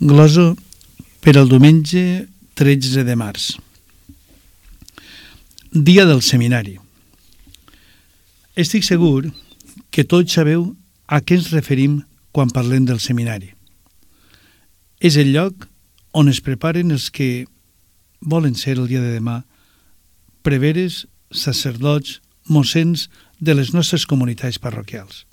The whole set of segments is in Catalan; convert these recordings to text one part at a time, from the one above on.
Glosa per al diumenge 13 de març. Dia del seminari. Estic segur que tots sabeu a què ens referim quan parlem del seminari. És el lloc on es preparen els que volen ser el dia de demà preveres, sacerdots, mossens de les nostres comunitats parroquials.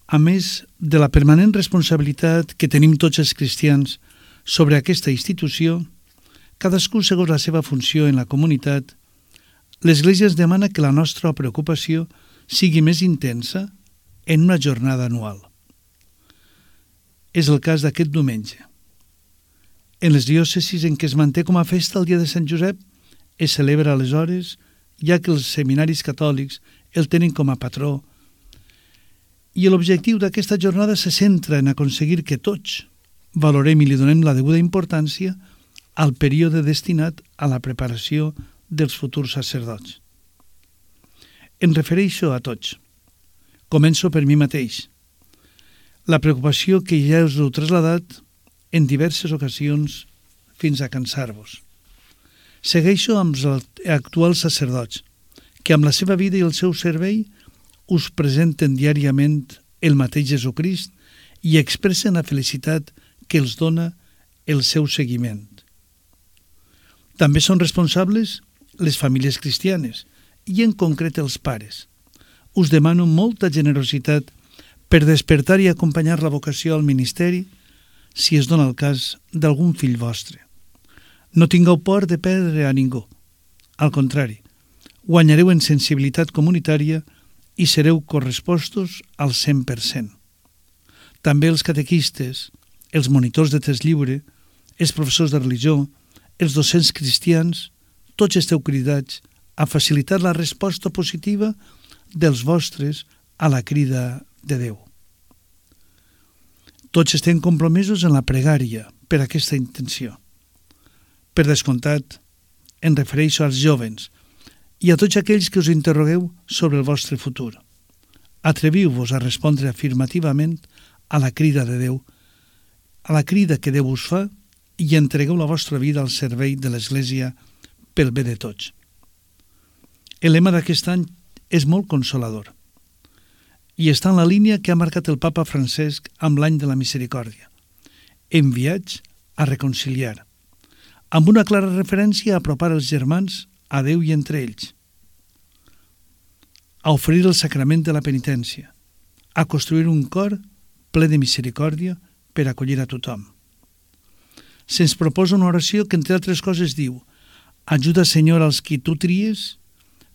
A més de la permanent responsabilitat que tenim tots els cristians sobre aquesta institució, cadascú segons la seva funció en la comunitat, l'Església ens demana que la nostra preocupació sigui més intensa en una jornada anual. És el cas d'aquest diumenge. En les diòcesis en què es manté com a festa el dia de Sant Josep, es celebra aleshores, ja que els seminaris catòlics el tenen com a patró, i l'objectiu d'aquesta jornada se centra en aconseguir que tots valorem i li donem la deguda importància al període destinat a la preparació dels futurs sacerdots. Em refereixo a tots. Començo per mi mateix. La preocupació que ja us heu trasladat en diverses ocasions fins a cansar-vos. Segueixo amb els actuals sacerdots, que amb la seva vida i el seu servei us presenten diàriament el mateix Jesucrist i expressen la felicitat que els dona el seu seguiment. També són responsables les famílies cristianes i en concret els pares. Us demano molta generositat per despertar i acompanyar la vocació al ministeri si es dona el cas d'algun fill vostre. No tingueu por de perdre a ningú. Al contrari, guanyareu en sensibilitat comunitària i sereu correspostos al 100%. També els catequistes, els monitors de text lliure, els professors de religió, els docents cristians, tots esteu cridats a facilitar la resposta positiva dels vostres a la crida de Déu. Tots estem compromesos en la pregària per aquesta intenció. Per descomptat, em refereixo als jóvens i a tots aquells que us interrogueu sobre el vostre futur. Atreviu-vos a respondre afirmativament a la crida de Déu, a la crida que Déu us fa, i entregueu la vostra vida al servei de l'Església pel bé de tots. El lema d'aquest any és molt consolador i està en la línia que ha marcat el Papa Francesc amb l'any de la misericòrdia, enviats a reconciliar, amb una clara referència a apropar els germans a Déu i entre ells, a oferir el sacrament de la penitència, a construir un cor ple de misericòrdia per acollir a tothom. Se'ns proposa una oració que, entre altres coses, diu: ajuda, Senyor, als qui tu tries,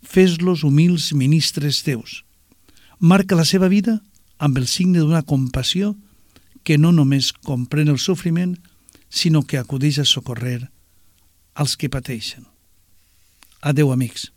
fes-los humils ministres teus. Marca la seva vida amb el signe d'una compassió que no només comprèn el sofriment, sinó que acudeix a socórrer als que pateixen. Adéu, amics.